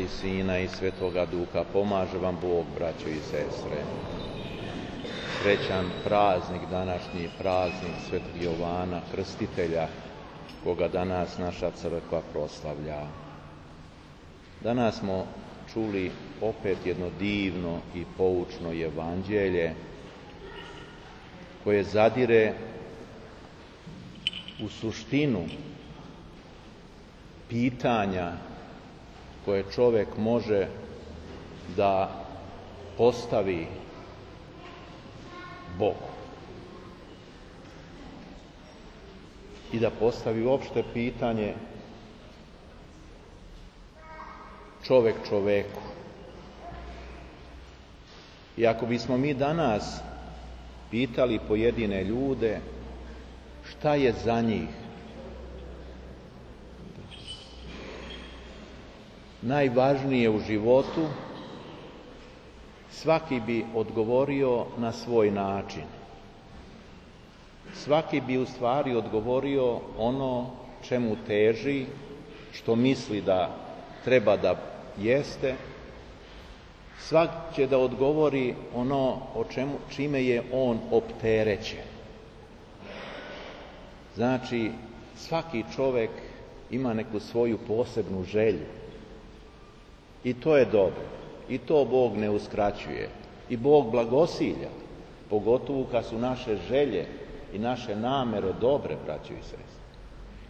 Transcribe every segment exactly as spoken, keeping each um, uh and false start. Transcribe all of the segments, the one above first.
Sina i Svetoga Duha. Pomaže vam Bog, braćo i sestre. Srećan praznik, današnji praznik Svetog Jovana Krstitelja, koga danas naša crkva proslavlja. Danas smo čuli opet jedno divno i poučno evanđelje koje zadire u suštinu pitanja koje čovjek može da postavi Bogu i da postavi uopšte pitanje čovjek čoveku. I ako bismo mi danas pitali pojedine ljude šta je za njih najvažnije u životu, svaki bi odgovorio na svoj način. Svaki bi u stvari odgovorio ono čemu teži, što misli da treba da jeste. Svak će da odgovori ono o čemu, čime je on opterećen. Znači, svaki čovjek ima neku svoju posebnu želju. I to je dobro. I to Bog ne uskraćuje. I Bog blagosilja, pogotovo kad su naše želje i naše namere dobre, braćo i sestre.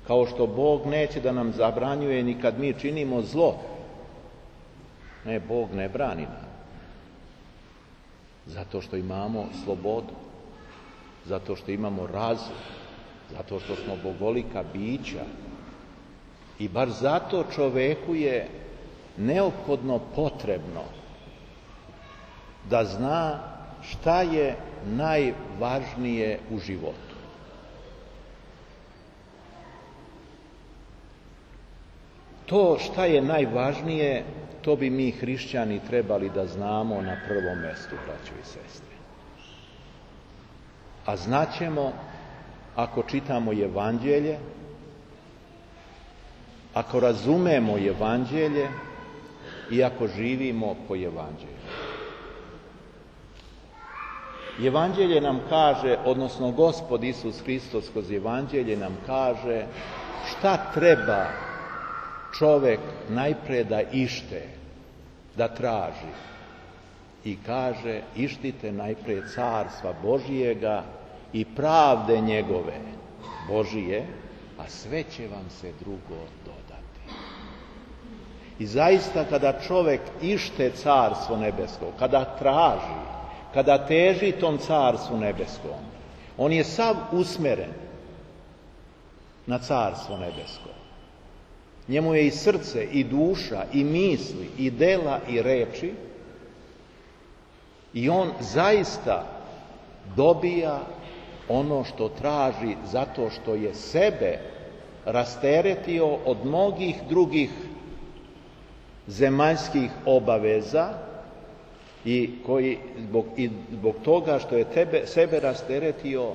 Kao što Bog neće da nam zabranjuje ni kad mi činimo zlo. Ne, Bog ne brani nam. Zato što imamo slobodu. Zato što imamo razum. Zato što smo bogolika bića. I bar zato čoveku je neophodno potrebno da zna šta je najvažnije u životu. To šta je najvažnije, to bi mi hrišćani trebali da znamo na prvom mjestu, braćo i sestre. A znaćemo ako čitamo evanđelje, ako razumemo evanđelje i ako živimo po evanđelju. Evanđelje nam kaže, odnosno Gospod Isus Hristos kroz evanđelje nam kaže šta treba čovjek najpre da ište, da traži. I kaže, ištite najpre carstva Božijega i pravde njegove Božije, a sve će vam se drugo dodati. I zaista kada čovjek ište carstvo nebesko, kada traži, kada teži tom carstvu nebeskom, on je sav usmeren na carstvo nebesko. Njemu je i srce, i duša, i misli, i dela, i reči, i on zaista dobija ono što traži zato što je sebe rasteretio od mnogih drugih zemaljskih obaveza i koji zbog, i zbog toga što je tebe, sebe rasteretio,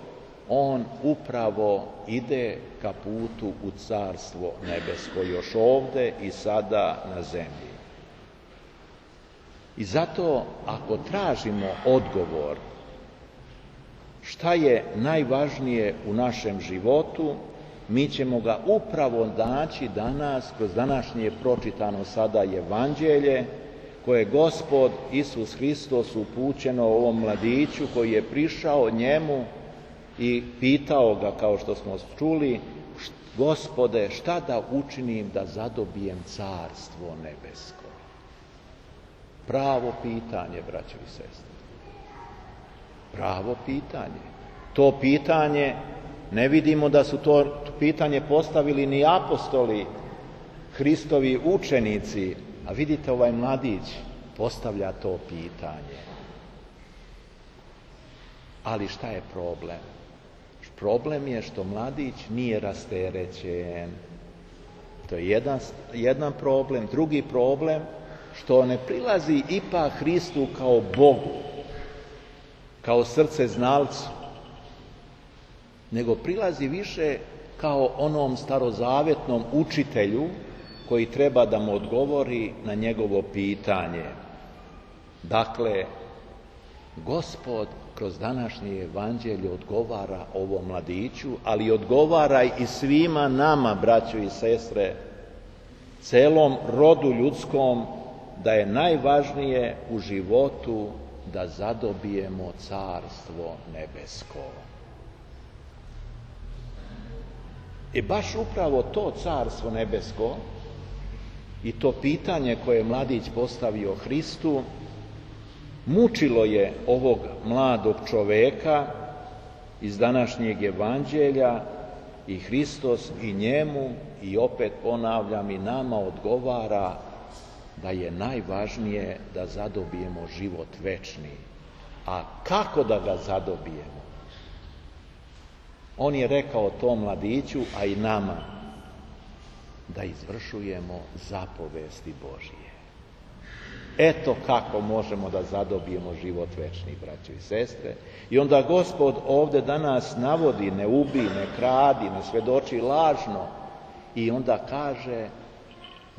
on upravo ide ka putu u carstvo nebesko, još ovde i sada na zemlji. I zato ako tražimo odgovor šta je najvažnije u našem životu, mi ćemo ga upravo naći danas kroz današnje pročitano sada evanđelje koje je Gospod Isus Hristos upućeno ovom mladiću koji je prišao njemu i pitao ga, kao što smo čuli, Gospode, šta da učinim da zadobijem carstvo nebesko? Pravo pitanje, braćo i sestre. Pravo pitanje. To pitanje, ne vidimo da su to pitanje postavili ni apostoli, Hristovi učenici, a vidite ovaj mladić postavlja to pitanje. Ali šta je problem? Problem je što mladić nije rasterećen. To je jedan, jedan problem. Drugi problem, što ne prilazi ipak Hristu kao Bogu, kao srce znalcu, nego prilazi više kao onom starozavetnom učitelju koji treba da mu odgovori na njegovo pitanje. Dakle, Gospod kroz današnje evanđelje odgovara ovom mladiću, ali odgovara i svima nama, braćo i sestre, celom rodu ljudskom, da je najvažnije u životu da zadobijemo carstvo nebesko. I baš upravo to carstvo nebesko i to pitanje koje je mladić postavio Hristu mučilo je ovog mladog čoveka iz današnjeg evanđelja i Hristos i njemu, i opet ponavljam, i nama odgovara da je najvažnije da zadobijemo život večni. A kako da ga zadobijemo? On je rekao tom mladiću, a i nama, da izvršujemo zapovesti Božije. Eto kako možemo da zadobijemo život večni, braćo i sestre. I onda Gospod ovde danas navodi: ne ubi, ne kradi, ne svedoči lažno. I onda kaže: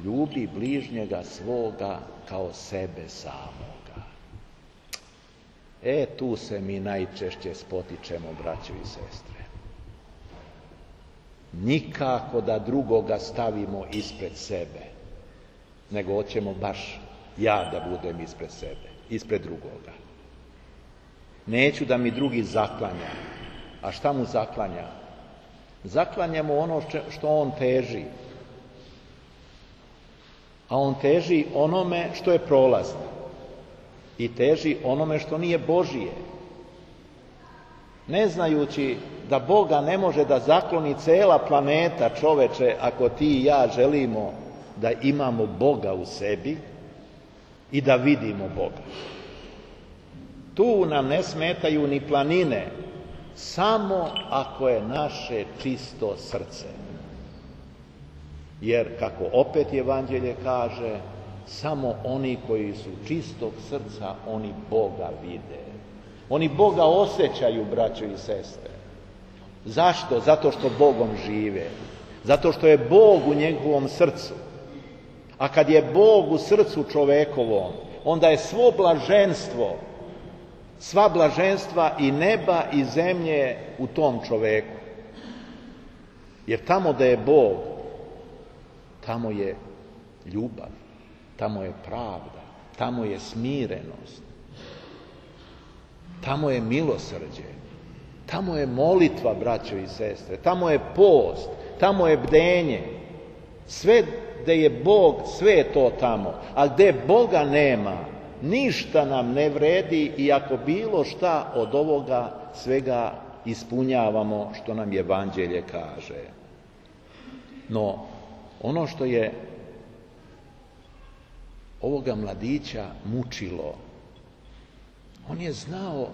ljubi bližnjega svoga kao sebe samoga. E, tu se mi najčešće spotičemo, braćo i sestre. Nikako da drugoga stavimo ispred sebe, nego hoćemo baš ja da budem ispred sebe, ispred drugoga. Neću da mi drugi zaklanja. A šta mu zaklanja? Zaklanja mu ono što on teži. A on teži onome što je prolazno. I teži onome što nije Božije. Ne znajući da Boga ne može da zakloni cela planeta, čoveče, ako ti i ja želimo da imamo Boga u sebi i da vidimo Boga. Tu nam ne smetaju ni planine, samo ako je naše čisto srce. Jer, kako opet evanđelje kaže, samo oni koji su čistog srca, oni Boga vide. Oni Boga osjećaju, braćo i sestre. Zašto? Zato što Bogom žive. Zato što je Bog u njegovom srcu. A kad je Bog u srcu čovekovom, onda je svo blaženstvo, sva blaženstva i neba i zemlje u tom čoveku. Jer tamo da je Bog, tamo je ljubav, tamo je pravda, tamo je smirenost, tamo je milosrđe, tamo je molitva, braćo i sestre, tamo je post, tamo je bdenje. Sve gde je Bog, sve je to tamo. A gde Boga nema, ništa nam ne vredi, i ako bilo šta od ovoga svega ispunjavamo što nam evanđelje kaže. No, ono što je ovoga mladića mučilo, on je znao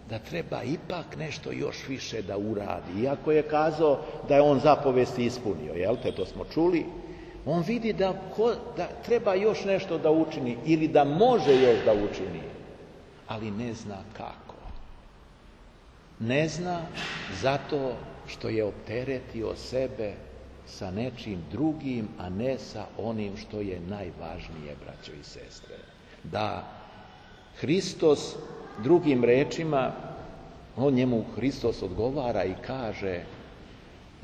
da treba ipak nešto još više da uradi. Iako je kazao da je on zapovesti ispunio, jel te, to smo čuli, on vidi da, ko, da treba još nešto da učini ili da može još da učini, ali ne zna kako. Ne zna zato što je opteretio sebe sa nečim drugim, a ne sa onim što je najvažnije, braćo i sestre. Da Hristos, drugim rečima, on njemu Hristos odgovara i kaže: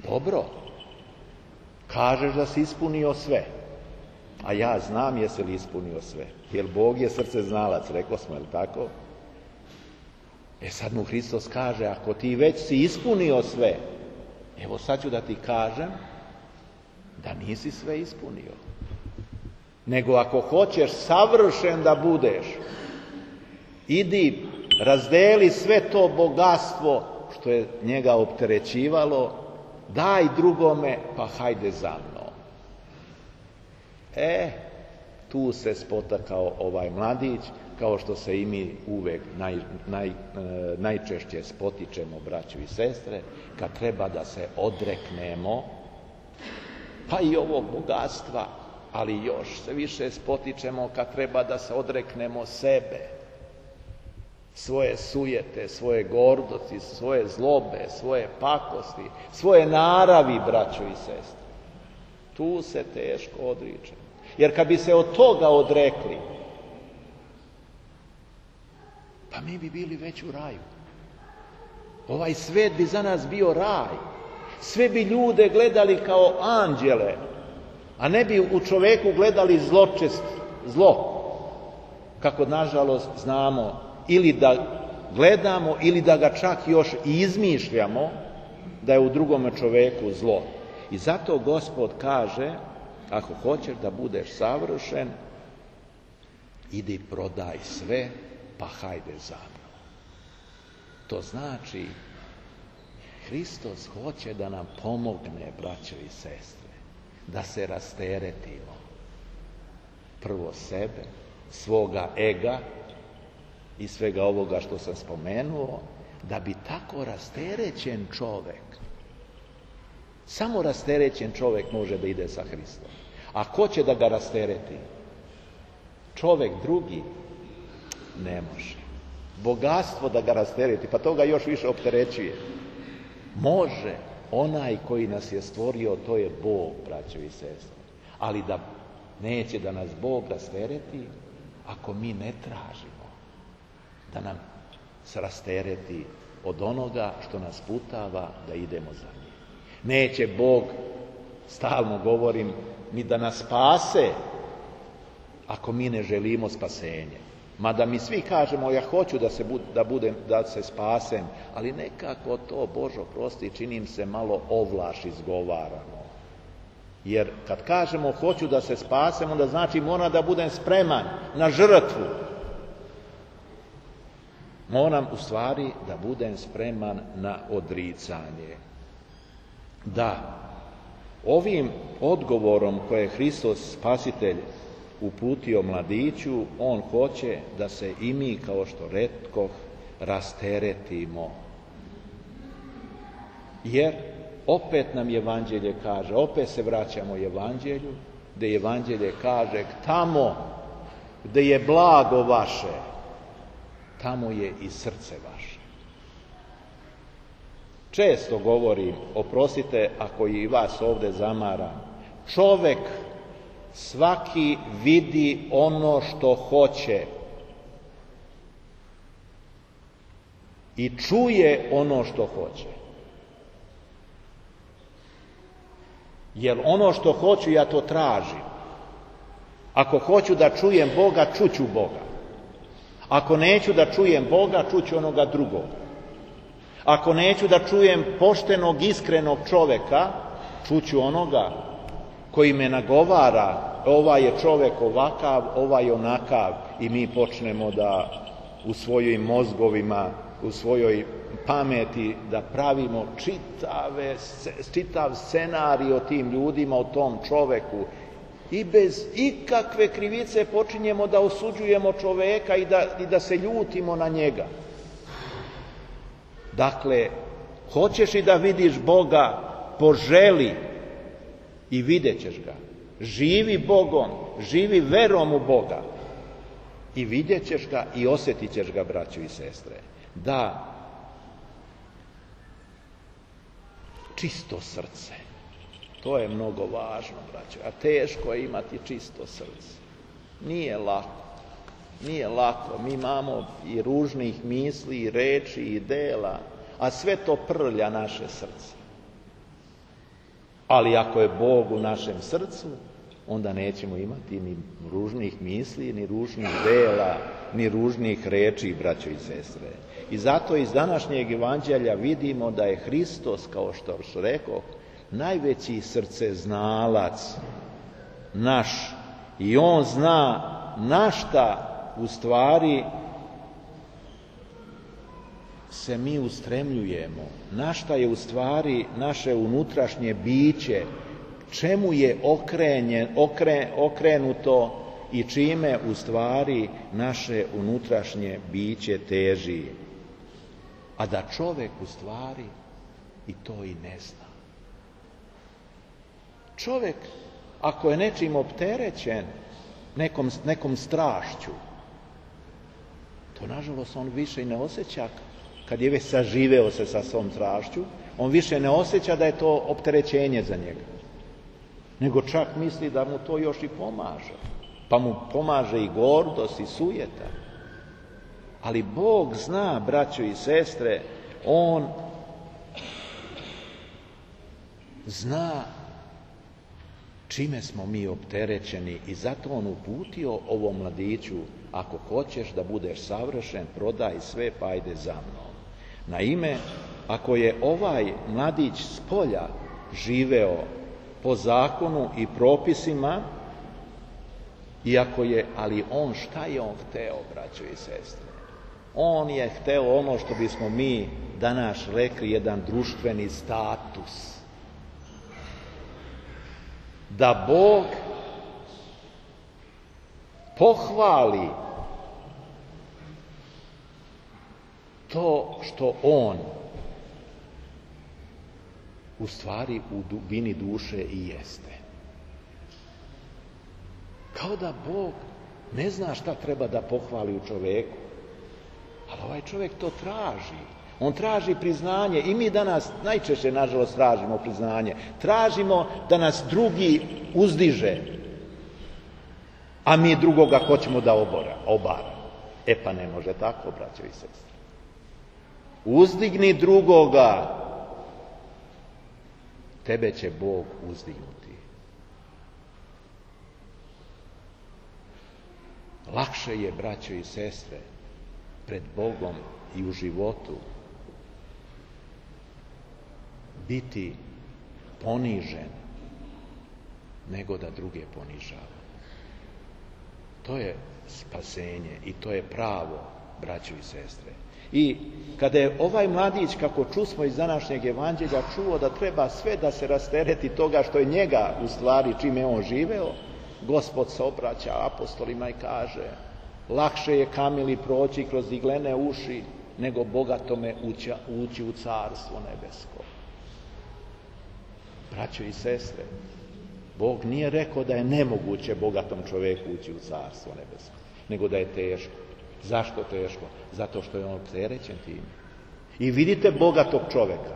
dobro, kažeš da si ispunio sve, a ja znam jesi li ispunio sve, jer Bog je srce znalac, rekao smo, je li tako? E sad mu Hristos kaže: ako ti već si ispunio sve, evo sad ću da ti kažem da nisi sve ispunio. Nego ako hoćeš savršen da budeš, idi, razdeli sve to bogatstvo što je njega opterećivalo, daj drugome, pa hajde za mnom. E, tu se spotakao ovaj mladić, kao što se i mi uvek naj, naj, najčešće spotičemo, braćo i sestre, kad treba da se odreknemo, pa i ovog bogatstva, ali još se više spotičemo kad treba da se odreknemo sebe, svoje sujete, svoje gordosti, svoje zlobe, svoje pakosti, svoje naravi, braćo i sestre. Tu se teško odričemo. Jer kad bi se od toga odrekli, pa mi bi bili već u raju. Ovaj svet bi za nas bio raj. Sve bi ljude gledali kao anđele, a ne bi u čoveku gledali zločest, zlo. Kako nažalost znamo, ili da gledamo, ili da ga čak još i izmišljamo da je u drugome čoveku zlo. I zato Gospod kaže, ako hoćeš da budeš savršen, idi prodaj sve, pa hajde za mnom. To znači, Hristos hoće da nam pomogne, braćo i sestre, da se rasteretimo. Prvo sebe, svoga ega i svega ovoga što sam spomenuo, da bi tako rasterećen čovek, samo rasterećen čovek može da ide sa Hristom. A ko će da ga rastereti? Čovek drugi ne može. Bogatstvo da ga rastereti, pa to ga još više opterećuje. Može onaj koji nas je stvorio, to je Bog, braćo i sestre. Ali da neće da nas Bog rastereti ako mi ne tražimo da nam se rastereti od onoga što nas putava da idemo za njim. Neće Bog, stalno govorim, ni da nas spase ako mi ne želimo spasenje. Mada mi svi kažemo, ja hoću da se, bud, da budem, da se spasem, ali nekako to, Božo prosti, činim se malo ovlaš izgovaramo. Jer kad kažemo hoću da se spasem, onda znači moram da budem spreman na žrtvu. Moram u stvari da budem spreman na odricanje. Da, ovim odgovorom koje je Hristos Spasitelj uputio mladiću, on hoće da se i mi, kao što retkoh, rasteretimo. Jer opet nam Evanđelje kaže, opet se vraćamo Evanđelju, gde Evanđelje kaže, tamo gde je blago vaše, tamo je i srce vaše. Često govorim, oprostite ako i vas ovde zamaram, čovek svaki vidi ono što hoće i čuje ono što hoće. Jer ono što hoću, ja to tražim. Ako hoću da čujem Boga, čuću Boga. Ako neću da čujem Boga, čuću onoga drugoga. Ako neću da čujem poštenog, iskrenog čoveka, čuću onoga koji me nagovara, ovaj je čovek ovakav, ovaj onakav, i mi počnemo da u svojim mozgovima, u svojoj pameti da pravimo čitave, čitav scenarij o tim ljudima, o tom čoveku, i bez ikakve krivice počinjemo da osuđujemo čoveka i da, i da se ljutimo na njega. Dakle, hoćeš i da vidiš Boga, poželi i vidjet ćeš ga. Živi Bogom, živi verom u Boga i vidjet ćeš ga i osjetit ćeš ga, braćo i sestre. Da, čisto srce, to je mnogo važno, braćo, a teško je imati čisto srce. Nije lako, nije lako, mi imamo i ružnih misli, i reči, i dela, a sve to prlja naše srce. Ali ako je Bog u našem srcu, onda nećemo imati ni ružnih misli, ni ružnih dela, ni ružnih reči, braćo i sestre. I zato iz današnjeg evanđelja vidimo da je Hristos, kao što rekao, najveći srceznalac naš. I on zna na šta u stvari se mi ustremljujemo, na šta je u stvari naše unutrašnje biće, čemu je okrenjen, okre, okrenuto i čime u stvari naše unutrašnje biće teži. A da čovek u stvari i to i ne zna. Čovek, ako je nečim opterećen, nekom, nekom strašću, to nažalost on više i ne osjeća. Kad je već saživeo se sa svom strašću, on više ne osjeća da je to opterećenje za njega. nego čak misli da mu to još i pomaže. Pa mu pomaže i gordost i sujeta. Ali Bog zna, braćo i sestre, On zna čime smo mi opterećeni i zato On uputio ovom mladiću: ako hoćeš da budeš savršen, prodaj sve pa ajde za mnom. Naime, ako je ovaj mladić s polja živeo po zakonu i propisima, iako je, ali on, šta je on hteo, braćo i sestre? On je hteo ono što bismo mi danas rekli, jedan društveni status. Da Bog pohvali to što on u stvari u dubini duše i jeste. Kao da Bog ne zna šta treba da pohvali u čoveku, ali ovaj čovjek to traži. On traži priznanje i mi danas najčešće, nažalost, tražimo priznanje. Tražimo da nas drugi uzdiže, a mi drugoga hoćemo da obora, obara. E pa ne može tako, braćo i sestre. Uzdigni drugoga, tebe će Bog uzdignuti. Lakše je, braćo i sestre, pred Bogom i u životu biti ponižen nego da druge ponižava. To je spasenje i to je pravo, braćo i sestre. I kada je ovaj mladić, kako čusmo iz današnjeg evanđelja, čuo da treba sve da se rastereti toga što je njega, u stvari, čime on živeo, Gospod se obraća apostolima i kaže: lakše je kamili proći kroz iglene uši nego bogatome ući, ući u carstvo nebesko. Braćo i sestre, Bog nije rekao da je nemoguće bogatom čoveku ući u carstvo nebesko, nego da je teško. Zašto teško? Zato što je on opterećen tim. I vidite bogatog čoveka,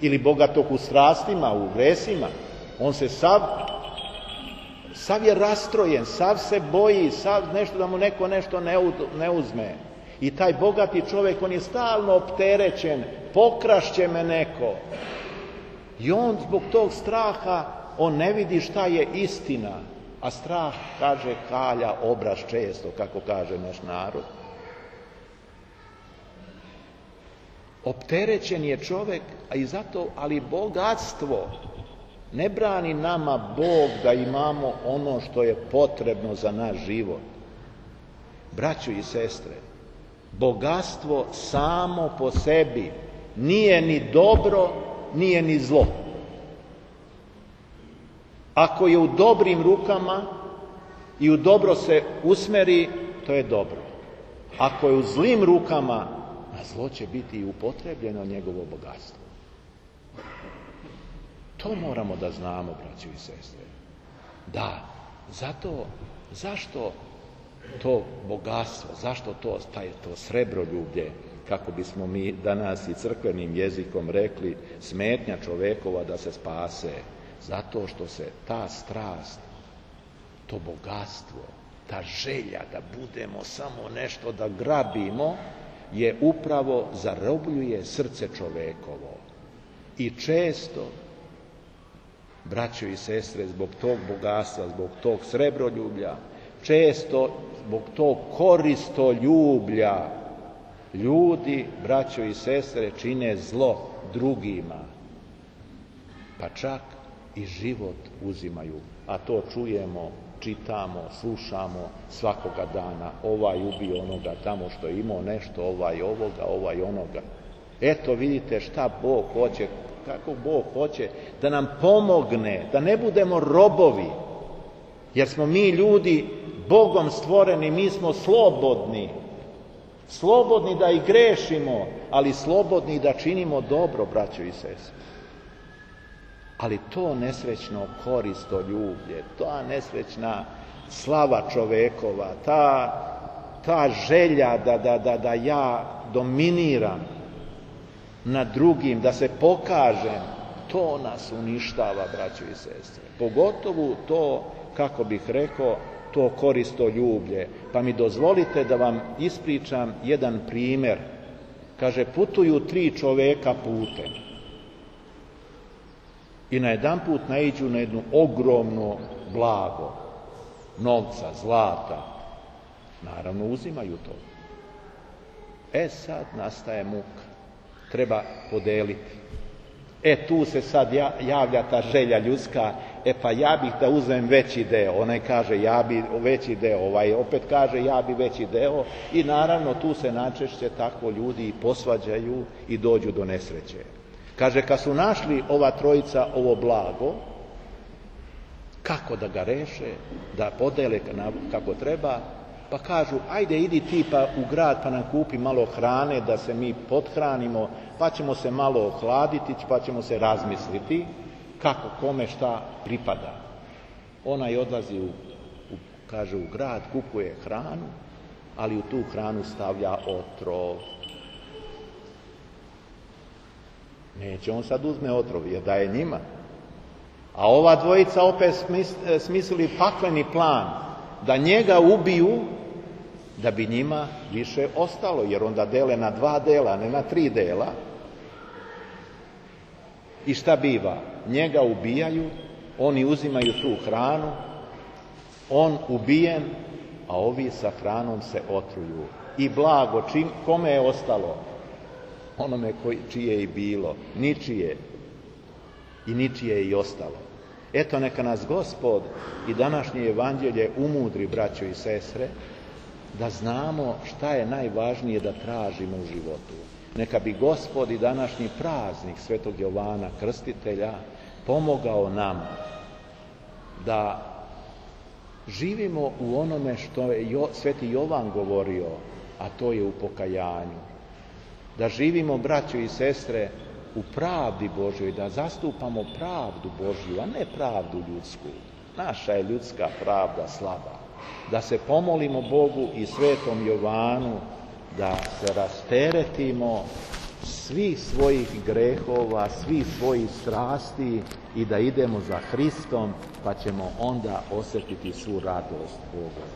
ili bogatog u strastima, u gresima, on se sav, sav je rastrojen, sav se boji, sav nešto da mu neko nešto ne uzme. I taj bogati čovjek, on je stalno opterećen, pokrašće me neko. I on zbog tog straha, on ne vidi šta je istina. A strah, kaže, kalja obraz često, kako kaže naš narod. Opterećen je čovjek, a i zato, ali bogatstvo ne brani nama Bog da imamo ono što je potrebno za naš život. Braćo i sestre, bogatstvo samo po sebi nije ni dobro, nije ni zlo. Ako je u dobrim rukama i u dobro se usmeri, to je dobro. Ako je u zlim rukama, na zlo će biti i upotrebljeno njegovo bogatstvo. To moramo da znamo, braćo i sestre. Da, zato, zašto to bogatstvo, zašto to, taj, to srebroljublje, kako bismo mi danas i crkvenim jezikom rekli, smetnja čovekova da se spase? Zato što se ta strast, to bogatstvo, ta želja da budemo samo nešto da grabimo, je upravo zarobljuje srce čovekovo. I često, braćo i sestre, zbog tog bogatstva, zbog tog srebroljublja, često zbog tog koristoljublja, ljudi, braćo i sestre, čine zlo drugima. Pa čak i život uzimaju, a to čujemo, čitamo, slušamo svakoga dana. Ovaj ubio onoga tamo što je imao nešto, ovaj ovoga, ovaj onoga. Eto vidite šta Bog hoće, kako Bog hoće da nam pomogne, da ne budemo robovi, jer smo mi ljudi Bogom stvoreni, mi smo slobodni. Slobodni da i grešimo, ali slobodni da činimo dobro, braćo i sestre. Ali to nesrećno koristoljublje, ta nesrećna slava čovekova, ta, ta želja da, da, da, da ja dominiram nad drugim, da se pokažem, to nas uništava, braćo i sestre. Pogotovo to, kako bih rekao, to koristoljublje. Pa mi dozvolite da vam ispričam jedan primjer. Kaže, putuju tri čoveka putem i najedanput naiđu na jedno ogromno blago, novca, zlata. Naravno, uzimaju to. E sad nastaje muka. Treba podeliti. E tu se sad javlja ta želja ljudska, e pa ja bih da uzmem veći deo. Onaj kaže ja bi veći deo, ovaj opet kaže ja bi veći deo i naravno tu se najčešće tako ljudi i posvađaju i dođu do nesreće. Kaže, kad su našli ova trojica ovo blago, kako da ga reše, da podele kako treba, pa kažu, ajde idi ti pa u grad pa nam kupi malo hrane da se mi pothranimo, pa ćemo se malo ohladiti, pa ćemo se razmisliti kako, kome, šta pripada. Onaj odlazi u, u, kaže, u grad, kupuje hranu, ali u tu hranu stavlja otrov. Neće on sad uzme otrov, jer daje njima. A ova dvojica opet smislili pakleni plan, da njega ubiju, da bi njima više ostalo, jer onda dele na dva dela, ne na tri dela. I šta biva? Njega ubijaju, oni uzimaju tu hranu, on ubijen, a ovi sa hranom se otruju. I blago, čim, kome je ostalo? Onome koji, čije je i bilo, ničije i ničije je i ostalo. Eto, neka nas Gospod i današnje evanđelje umudri, braćo i sestre, da znamo šta je najvažnije da tražimo u životu. Neka bi Gospod i današnji praznik Svetog Jovana Krstitelja pomogao nam da živimo u onome što je Sveti Jovan govorio, a to je u pokajanju. Da živimo, braćo i sestre, u pravdi Božjoj, da zastupamo pravdu Božju, a ne pravdu ljudsku. Naša je ljudska pravda slaba. Da se pomolimo Bogu i Svetom Jovanu da se rasteretimo svih svojih grehova, svih svojih strasti i da idemo za Hristom, pa ćemo onda osjetiti svu radost Boga.